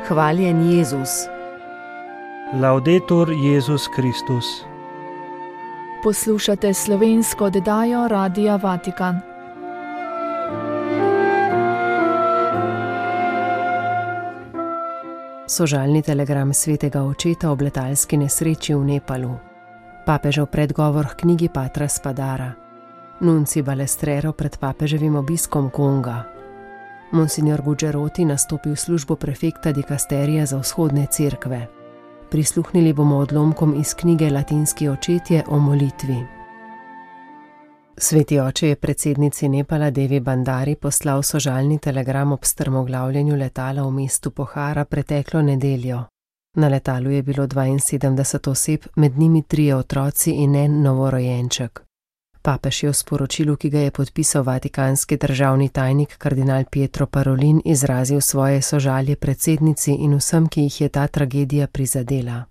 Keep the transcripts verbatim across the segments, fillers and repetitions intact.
Hvaljen Jezus. Laudetur Jezus Kristus. Poslušate slovensko oddajo Radia Vatikan. Sožalni telegram svetega očeta ob letalski nesreči v Nepalu. Papežev predgovor k knjigi Patra Spadara. Nunci Balestrero pred papeževim obiskom Konga. Monsignor Gugeroti nastopi v službo prefekta dikasterija za vzhodne cerkve. Prisluhnili bomo odlomkom iz knjige Latinski očetje o molitvi. Sveti oče je predsednici Nepala Devi Bandari poslal sožalni telegram ob strmoglavljenju letala v mestu Pohara preteklo nedeljo. Na letalu je bilo dvainsedemdeset oseb, med njimi trije otroci in en novorojenček. Papež je v sporočilu, ki ga je podpisal vatikanski državni tajnik kardinal Pietro Parolin, izrazil svoje sožalje predsednici in vsem, ki jih je ta tragedija prizadela.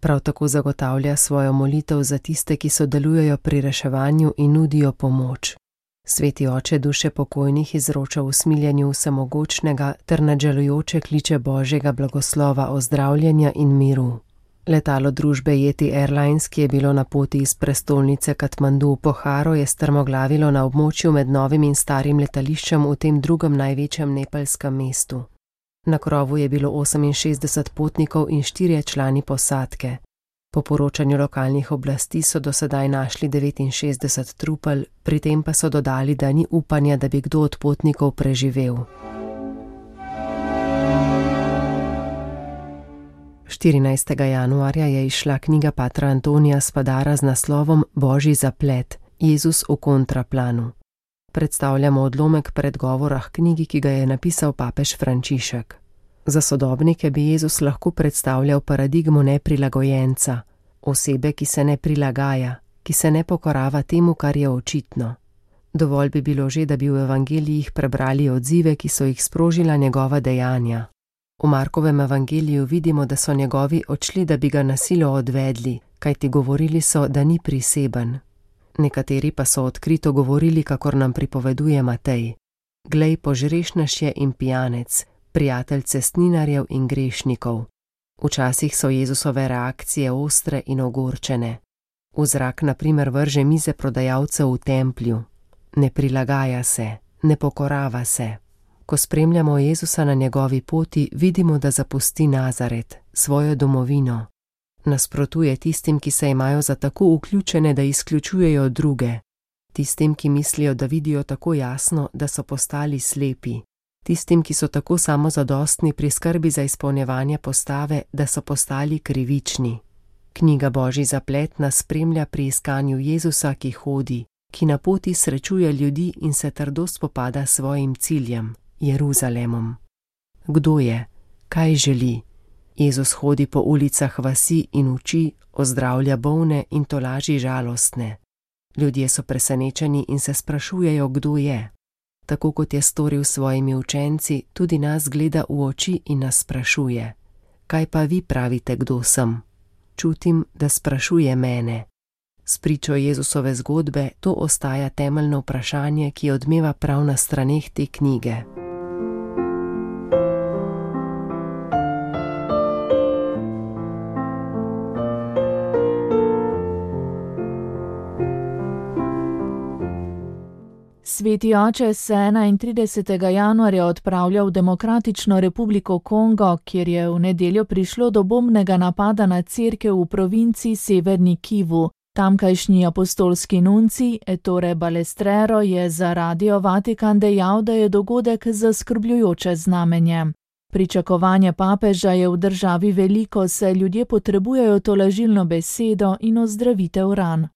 Prav tako zagotavlja svojo molitev za tiste, ki sodelujejo pri reševanju in nudijo pomoč. Sveti oče duše pokojnih izroča v usmiljenju vsemogočnega ter nadžalujoče kliče Božjega blagoslova, ozdravljanja in miru. Letalo družbe Yeti Airlines, ki je bilo na poti iz prestolnice Katmandu v Poharo, je strmoglavilo na območju med novim in starim letališčem v tem drugem največjem nepalskem mestu. Na krovu je bilo oseminšestdeset potnikov in štirje člani posadke. Po poročanju lokalnih oblasti so do sedaj našli devetinšestdeset trupel, pri tem pa so dodali, da ni upanja, da bi kdo od potnikov preživel. štirinajstega januarja je izšla knjiga Patra Antonija Spadara z naslovom Božji zaplet, Jezus v kontraplanu. Predstavljamo odlomek predgovora k knjigi, ki ga je napisal papež Frančišek. Za sodobnike bi Jezus lahko predstavljal paradigmo neprilagojenca, osebe, ki se ne prilagaja, ki se ne pokorava temu, kar je očitno. Dovolj bi bilo že, da bi v evangelijih prebrali odzive, ki so jih sprožila njegova dejanja. V Markovem evangeliju vidimo, da so njegovi odšli, da bi ga na silo odvedli, kajti govorili so, da ni priseben. Nekateri pa so odkrito govorili, kakor nam pripoveduje Matej. Glej, požrešnež je in pijanec, prijatelj cestninarjev in grešnikov. Včasih so Jezusove reakcije ostre in ogorčene. V zrak na primer vrže mize prodajalcev v templju. Ne prilagaja se, ne pokorava se. Ko spremljamo Jezusa na njegovi poti, vidimo, da zapusti Nazaret, svojo domovino. Nasprotuje tistim, ki se imajo za tako vključene, da izključujejo druge. Tistim, ki mislijo, da vidijo tako jasno, da so postali slepi. Tistim, ki so tako samozadostni pri skrbi za izpolnjevanje postave, da so postali krivični. Knjiga Božji zaplet nas spremlja pri iskanju Jezusa, ki hodi, ki na poti srečuje ljudi in se trdo spopada s svojim ciljem, Jeruzalemom. Kdo je? Kaj želi? Jezus hodi po ulicah vasi in uči, ozdravlja bolne in tolaži žalostne. Ljudje so presenečeni in se sprašujejo, kdo je. Tako kot je storil s svojimi učenci, tudi nas gleda v oči in nas sprašuje. Kaj pa vi pravite, kdo sem? Čutim, da sprašuje mene. S pričo Jezusove zgodbe to ostaja temeljno vprašanje, ki odmeva prav na straneh te knjige. Sveti oče se enaintridesetega januarja odpravlja v Demokratično republiko Kongo, kjer je v nedeljo prišlo do bombnega napada na cerkev v provinci Severni Kivu. Tamkajšnji apostolski nunci Ettore Balestrero je za Radio Vatikan dejal, da je dogodek zaskrbljujoče znamenje. Pričakovanje papeža je v državi veliko, saj ljudje potrebujejo tolažilno besedo in ozdravitev ran.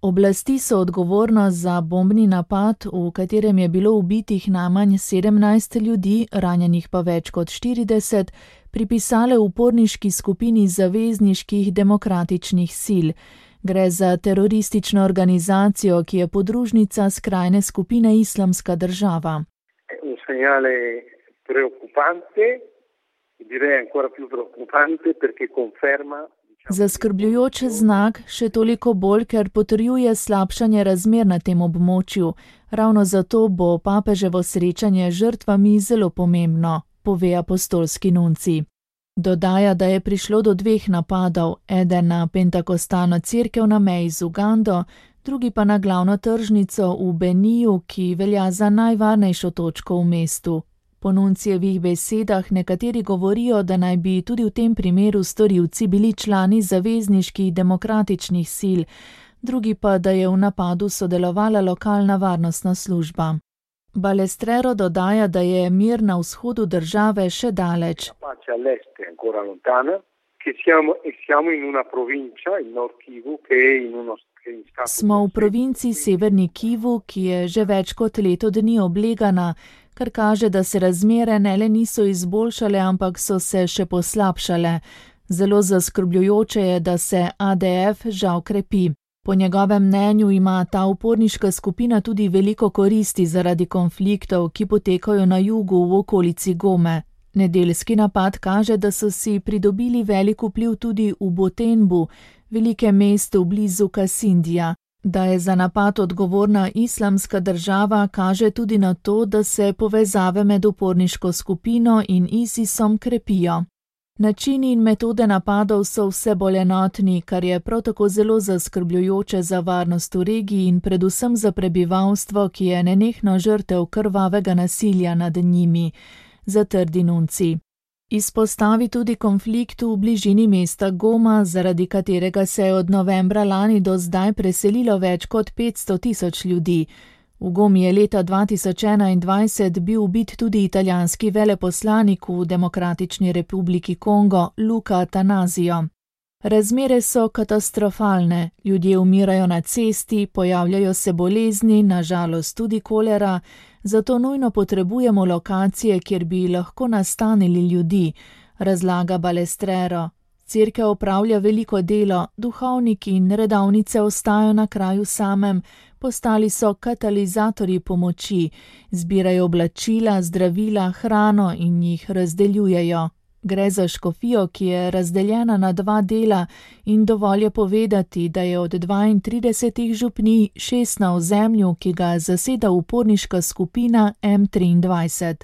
Oblasti so odgovornost za bombni napad, v katerem je bilo ubitih najmanj sedemnajst ljudi, ranjenih pa več kot štirideset, pripisale uporniški skupini zavezniških demokratičnih sil. Gre za teroristično organizacijo, ki je podružnica skrajne skupine Islamska država. Un segnale preoccupante, direi ancora più preoccupante perché conferma. Zaskrbljujoč znak, še toliko bolj, ker potrjuje slabšanje razmer na tem območju. Ravno zato bo papeževo srečanje z žrtvami zelo pomembno, pove apostolski nunci. Dodaja, da je prišlo do dveh napadov, eden na pentakostalno cerkev na meji z Ugando, drugi pa na glavno tržnico v Beniju, ki velja za najvarnejšo točko v mestu. Po nuncijevih besedah nekateri govorijo, da naj bi tudi v tem primeru storilci bili člani zavezniških demokratičnih sil, drugi pa, da je v napadu sodelovala lokalna varnostna služba. Balestrero dodaja, da je mir na vzhodu države še daleč. Smo v provinci Severni Kivu, ki je že več kot leto dni oblegana, kar kaže, da se razmere ne le niso izboljšale, ampak so se še poslabšale. Zelo zaskrbljujoče je, da se A D F žal krepi. Po njegovem mnenju ima ta uporniška skupina tudi veliko koristi zaradi konfliktov, ki potekajo na jugu v okolici Gome. Nedeljski napad kaže, da so si pridobili velik vpliv tudi v Botenbu, velikem mestu blizu Kasindija. Da je za napad odgovorna islamska država, kaže tudi na to, da se povezave med uporniško skupino in ISISom krepijo. Načini in metode napadov so vse bolj enotni, kar je prav tako zelo zaskrbljujoče za varnost v regiji in predvsem za prebivalstvo, ki je nenehno žrtev krvavega nasilja nad njimi, zatrdi nunci. Izpostavi tudi konflikt v bližini mesta Goma, zaradi katerega se je od novembra lani do zdaj preselilo več kot petsto tisoč ljudi. V Gomi je leta dva tisoč enaindvajset bil ubit tudi italijanski veleposlanik v Demokratični republiki Kongo Luca Attanasio. Razmere so katastrofalne, ljudje umirajo na cesti, pojavljajo se bolezni, nažalost tudi kolera, zato nujno potrebujemo lokacije, kjer bi lahko nastanili ljudi, razlaga Balestrero. Cerkev opravlja veliko delo, duhovniki in redovnice ostajajo na kraju samem, postali so katalizatorji pomoči, zbirajo oblačila, zdravila, hrano in jih razdeljujejo. Gre za škofijo, ki je razdeljena na dva dela in dovolj je povedati, da je od dvaintridesetih župnij šest na ozemlju, ki ga zaseda uporniška skupina M triindvajset.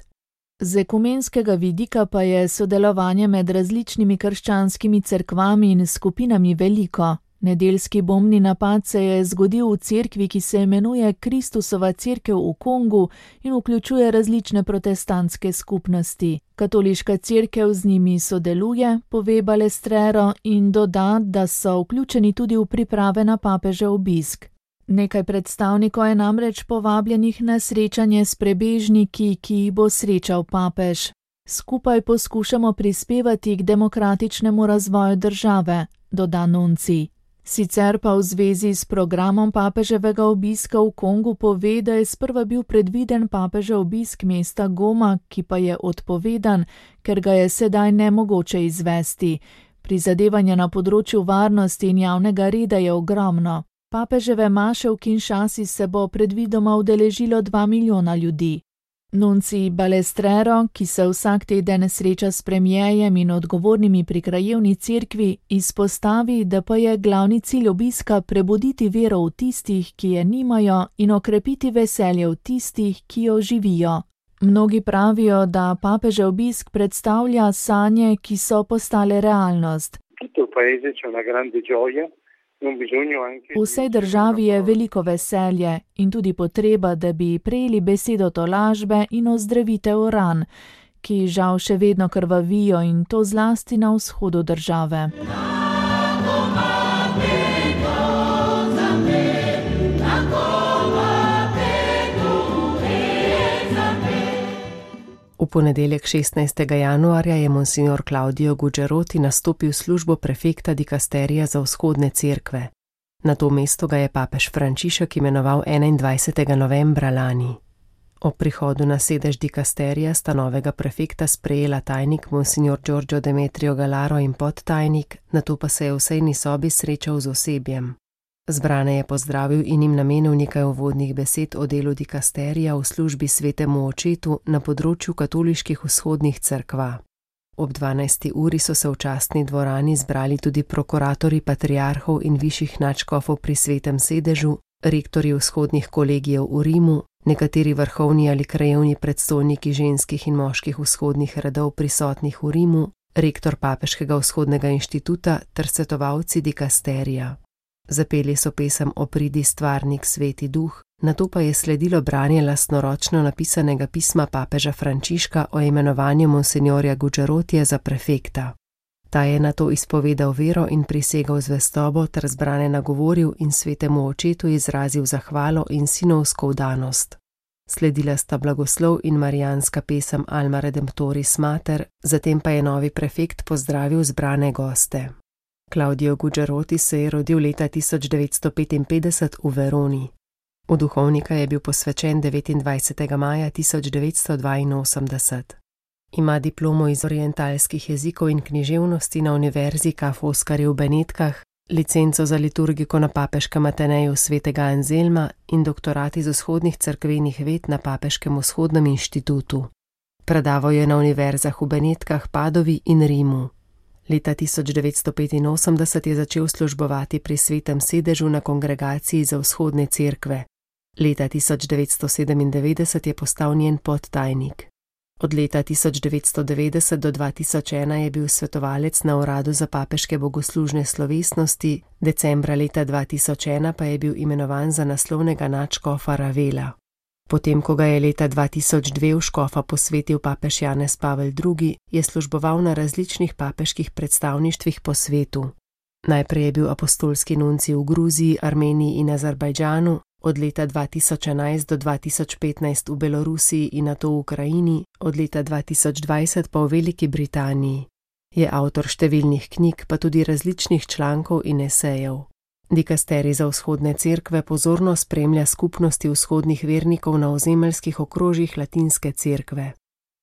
Z ekumenskega vidika pa je sodelovanje med različnimi krščanskimi cerkvami in skupinami veliko. Nedeljski bombni napad se je zgodil v cerkvi, ki se imenuje Kristusova cerkev v Kongu in vključuje različne protestantske skupnosti. Katoliška cerkev z njimi sodeluje, pove Balestrero in doda, da so vključeni tudi v priprave na papežev obisk. Nekaj predstavnikov je namreč povabljenih na srečanje s prebežniki, ki jih bo srečal papež. Skupaj poskušamo prispevati k demokratičnemu razvoju države, doda nunci. Sicer pa v zvezi s programom papeževega obiska v Kongu pove, da je sprva bil predviden papežev obisk mesta Goma, ki pa je odpovedan, ker ga je sedaj nemogoče izvesti. Prizadevanja na področju varnosti in javnega reda je ogromno. Papeževe maše v Kinshasi se bo predvidoma udeležilo dva milijona ljudi. Nunci Balestrero, ki se vsak teden sreča s premijejem in odgovornimi pri krajevni cerkvi, izpostavi, da pa je glavni cilj obiska prebuditi vero v tistih, ki je nimajo, in okrepiti veselje v tistih, ki jo živijo. Mnogi pravijo, da papežev obisk predstavlja sanje, ki so postale realnost. V vsej državi je veliko veselje in tudi potreba, da bi prejeli besedo tolažbe in ozdravitev ran, ki žal še vedno krvavijo in to zlasti na vzhodu države. V ponedeljek šestnajstega januarja je monsignor Claudio Gugeroti nastopil službo prefekta dikasterija za vzhodne cerkve. Na to mesto ga je papež Frančišek imenoval enaindvajsetega novembra lani. Ob prihodu na sedež dikasterija sta novega prefekta sprejela tajnik monsignor Giorgio Demetrio Galaro in podtajnik, nato pa se je v sejni sobi srečal z osebjem. Zbrane je pozdravil in jim namenil nekaj uvodnih besed o delu dikasterija v službi svetemu očetu na področju katoliških vzhodnih cerkva. Ob dvanajsti uri so se v častni dvorani zbrali tudi prokuratorji patriarhov in višjih nadškofov pri svetem sedežu, rektorji vzhodnih kolegijev v Rimu, nekateri vrhovni ali krajevni predstojniki ženskih in moških vzhodnih redov prisotnih v Rimu, rektor Papeškega vzhodnega inštituta ter svetovalci dikasterija. Zapeli so pesem O pridi stvarnik Sveti duh, nato pa je sledilo branje lastnoročno napisanega pisma papeža Frančiška o imenovanju monsinjorja Gugerotija za prefekta. Ta je nato izpovedal vero in prisegal zvestobo ter zbrane nagovoril in svetemu očetu izrazil zahvalo in sinovsko vdanost. Sledila sta blagoslov in marijanska pesem Alma Redemptoris Mater, zatem pa je novi prefekt pozdravil zbrane goste. Claudio Gugeroti se je rodil leta tisoč devetsto petinpetdeset v Veroni. V duhovnika je bil posvečen devetindvajsetega maja tisoč devetsto dvainosemdeset. Ima diplomo iz orientalskih jezikov in književnosti na Univerzi Ca' Foscari v Benetkah, licenco za liturgiko na Papeškem Ateneju svetega Anzelma in doktorat iz vzhodnih cerkvenih ved na Papeškem vzhodnem inštitutu. Predaval je na univerzah v Benetkah, Padovi in Rimu. Leta tisoč devetsto petinosemdeset je začel službovati pri Svetem sedežu na Kongregaciji za vzhodne cerkve. Leta tisoč devetsto sedemindevetdeset je postal njen podtajnik. Od leta tisoč devetsto devetdeset do dva tisoč ena je bil svetovalec na uradu za papeške bogoslužne slovesnosti, decembra leta dva tisoč ena pa je bil imenovan za naslovnega nadškofa Ravela. Potem, ko ga je leta dva tisoč dve v škofa posvetil papež Janez Pavel drugi, je služboval na različnih papeških predstavništvih po svetu. Najprej je bil apostolski nuncij v Gruziji, Armeniji in Azerbajdžanu, od leta dva tisoč enajst do dva tisoč petnajst v Belorusiji in nato v Ukrajini, od leta dva tisoč dvajset pa v Veliki Britaniji. Je avtor številnih knjig, pa tudi različnih člankov in esejev. Dikasterij za vzhodne cerkve pozorno spremlja skupnosti vzhodnih vernikov na ozemeljskih okrožjih latinske cerkve.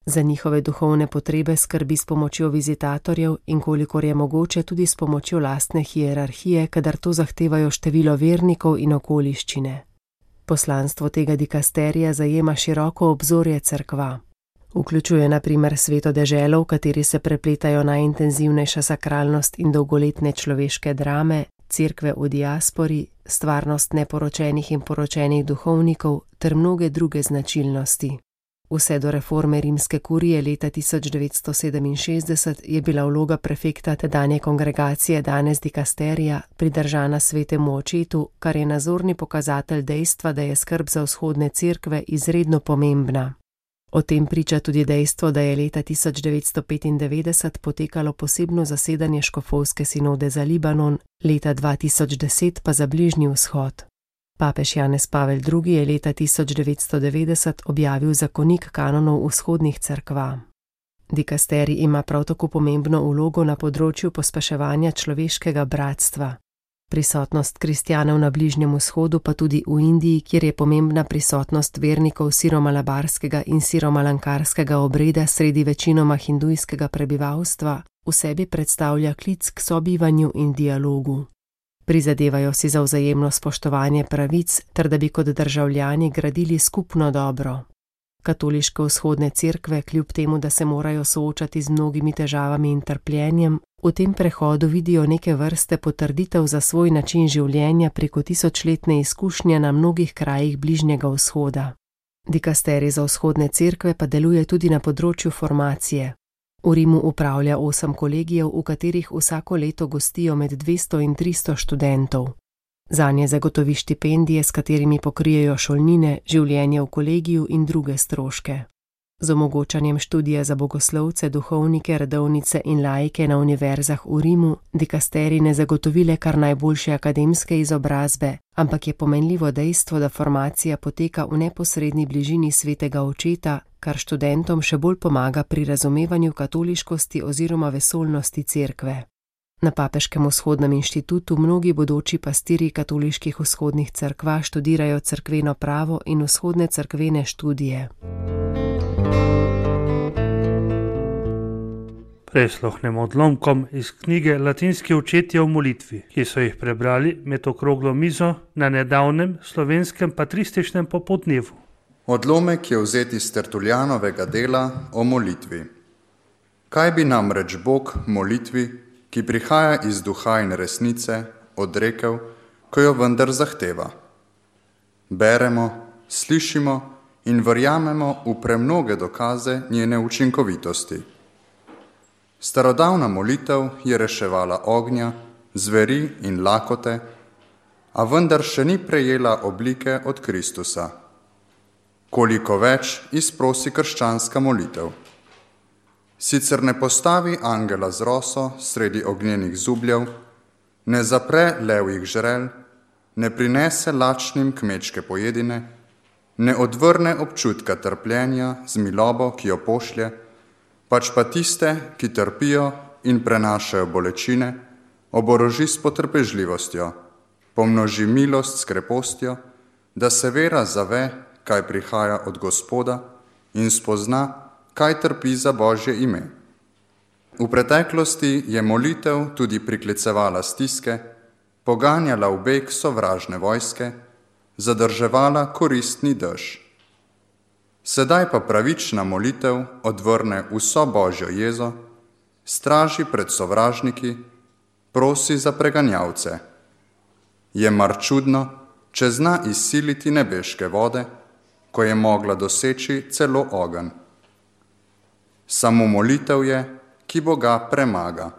Za njihove duhovne potrebe skrbi s pomočjo vizitatorjev in kolikor je mogoče tudi s pomočjo lastne hierarhije, kadar to zahtevajo število vernikov in okoliščine. Poslanstvo tega dikasterija zajema široko obzorje cerkva. Vključuje na primer sveto deželo, v kateri se prepletajo najintenzivnejša sakralnost in dolgoletne človeške drame, cerkve v diaspori, stvarnost neporočenih in poročenih duhovnikov ter mnoge druge značilnosti. Vse do reforme rimske kurije leta tisoč devetsto sedeminšestdeset je bila vloga prefekta tedanje kongregacije, danes dikasterija, pridržana svetemu očetu, kar je nazorni pokazatelj dejstva, da je skrb za vzhodne cerkve izredno pomembna. O tem priča tudi dejstvo, da je leta tisoč devetsto petindevetdeset potekalo posebno zasedanje škofovske sinode za Libanon, leta dva tisoč deset pa za Bližnji vzhod. Papež Janez Pavel drugi je leta tisoč devetsto devetdeset objavil zakonik kanonov vzhodnih cerkva. Dikasterij ima prav tako pomembno vlogo na področju pospeševanja človeškega bratstva. Prisotnost kristjanov na Bližnjem vzhodu pa tudi v Indiji, kjer je pomembna prisotnost vernikov siromalabarskega in siromalankarskega obreda sredi večinoma hindujskega prebivalstva, v sebi predstavlja klic k sobivanju in dialogu. Prizadevajo si za vzajemno spoštovanje pravic, ter da bi kot državljani gradili skupno dobro. Katoliške vzhodne cerkve, kljub temu, da se morajo soočati z mnogimi težavami in trpljenjem, v tem prehodu vidijo neke vrste potrditev za svoj način življenja preko tisočletne izkušnje na mnogih krajih Bližnjega vzhoda. Dikasterij za vzhodne cerkve pa deluje tudi na področju formacije. V Rimu upravlja osem kolegijev, v katerih vsako leto gostijo med dvesto in tristo študentov. Zanje zagotovi štipendije, s katerimi pokrijejo šolnine, življenje v kolegiju in druge stroške. Z omogočanjem študija za bogoslovce, duhovnike, redovnice in laike na univerzah v Rimu dikasterij ne zagotovi le kar najboljše akademske izobrazbe, ampak je pomenljivo dejstvo, da formacija poteka v neposredni bližini svetega očeta, kar študentom še bolj pomaga pri razumevanju katoliškosti oziroma vesoljnosti cerkve. Na Papeškem vzhodnem inštitutu mnogi bodoči pastirji katoliških vzhodnih cerkva študirajo cerkveno pravo in vzhodne cerkvene študije. Prisluhnemo odlomkom iz knjige Latinski očetje v molitvi, ki so jih prebrali med okroglo mizo na nedavnem slovenskem patrističnem popotnevu. Odlomek je vzet iz Tertuljanovega dela o molitvi. Kaj bi namreč Bog molitvi, ki prihaja iz duha in resnice, odrekel, ko jo vendar zahteva? Beremo, slišimo in verjamemo v premnoge dokaze njene učinkovitosti. Starodavna molitev je reševala ognja, zveri in lakote, a vendar še ni prejela oblike od Kristusa. Koliko več izprosi krščanska molitev. Sicer ne postavi angela z roso sredi ognjenih zubljev, ne zapre levjih žrel, ne prinese lačnim kmečke pojedine, ne odvrne občutka trpljenja z milobo, ki jo pošlje, pač pa tiste, ki trpijo in prenašajo bolečine, oboroži s potrpežljivostjo, pomnoži milost s krepostjo, da se vera zave, kaj prihaja od Gospoda in spozna, kaj trpi za Božje ime. V preteklosti je molitev tudi priklicevala stiske, poganjala v beg sovražne vojske, zadrževala koristni dež. Sedaj pa pravična molitev odvrne vso Božjo jezo, straži pred sovražniki, prosi za preganjavce. Je mar čudno, če zna izsiliti nebeške vode, ko je mogla doseči celo ogenj. Samo molitev je, ki Boga premaga.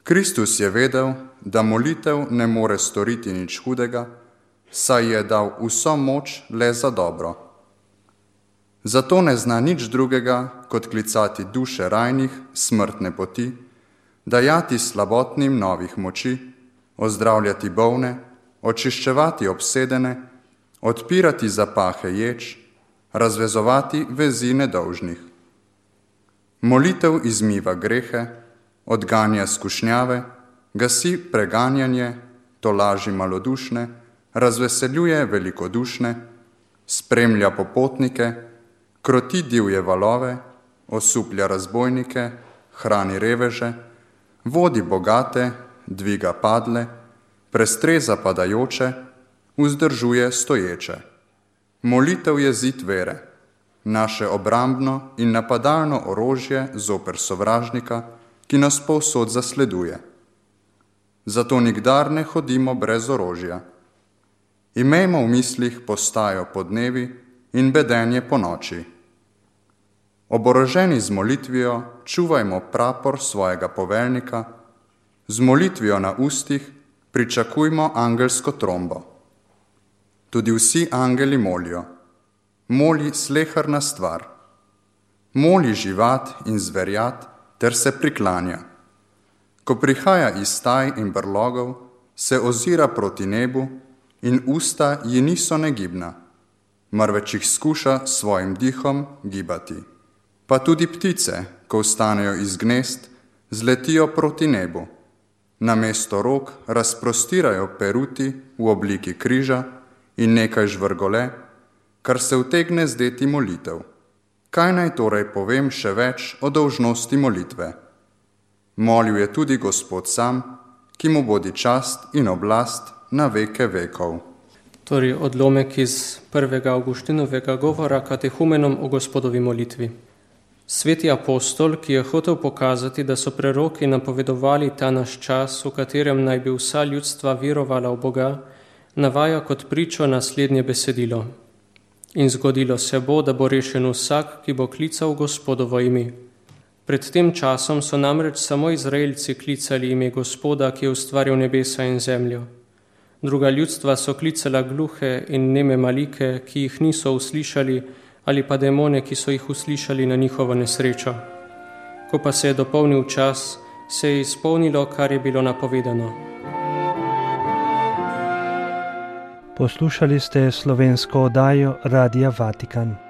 Kristus je vedel, da molitev ne more storiti nič hudega, saj je dal vso moč le za dobro. Zato ne zna nič drugega, kot klicati duše rajnih smrtne poti, dajati slabotnim novih moči, ozdravljati bolne, očiščevati obsedene, odpirati zapahe ječ, razvezovati vezi nedolžnih. Molitev izmiva grehe, odganja skušnjave, gasi preganjanje, tolaži malodušne, razveseljuje velikodušne, spremlja popotnike, kroti divje valove, osuplja razbojnike, hrani reveže, vodi bogate, dviga padle, prestreza padajoče, vzdržuje stoječe. Molitev je zid vere, naše obrambno in napadalno orožje zoper sovražnika, ki nas povsod zasleduje. Zato nikdar ne hodimo brez orožja. Imejmo v mislih postajo po dnevi in bedenje po noči. Oboroženi z molitvijo čuvajmo prapor svojega poveljnika, z molitvijo na ustih pričakujmo angelsko trombo. Tudi vsi angeli molijo. Moli sleherna stvar. Moli živat in zverjat ter se priklanja. Ko prihaja iz staj in brlogov, se ozira proti nebu in usta ji niso negibna, marveč jih skuša svojim dihom gibati. Pa tudi ptice, ko vstanejo iz gnezd, zletijo proti nebu. Namesto rok razprostirajo peruti v obliki križa in nekaj žvrgole, kar se utegne zdeti molitev. Kaj naj torej povem še več o dolžnosti molitve? Molil je tudi Gospod sam, ki mu bodi čast in oblast na veke vekov. Torej odlomek iz prvega Avgustinovega govora katehumenom o Gospodovi molitvi. Sveti apostol, ki je hotel pokazati, da so preroki napovedovali ta naš čas, v katerem naj bi vsa ljudstva verovala v Boga, navaja kot pričo naslednje besedilo. In zgodilo se bo, da bo rešen vsak, ki bo klical Gospodovo ime. Pred tem časom so namreč samo Izraelci klicali ime Gospoda, ki je ustvaril nebesa in zemljo. Druga ljudstva so klicala gluhe in neme malike, ki jih niso uslišali, ali pa demone, ki so jih uslišali na njihovo nesrečo. Ko pa se je dopolnil čas, se je izpolnilo, kar je bilo napovedano. Poslušali ste slovensko oddajo Radia Vatikan.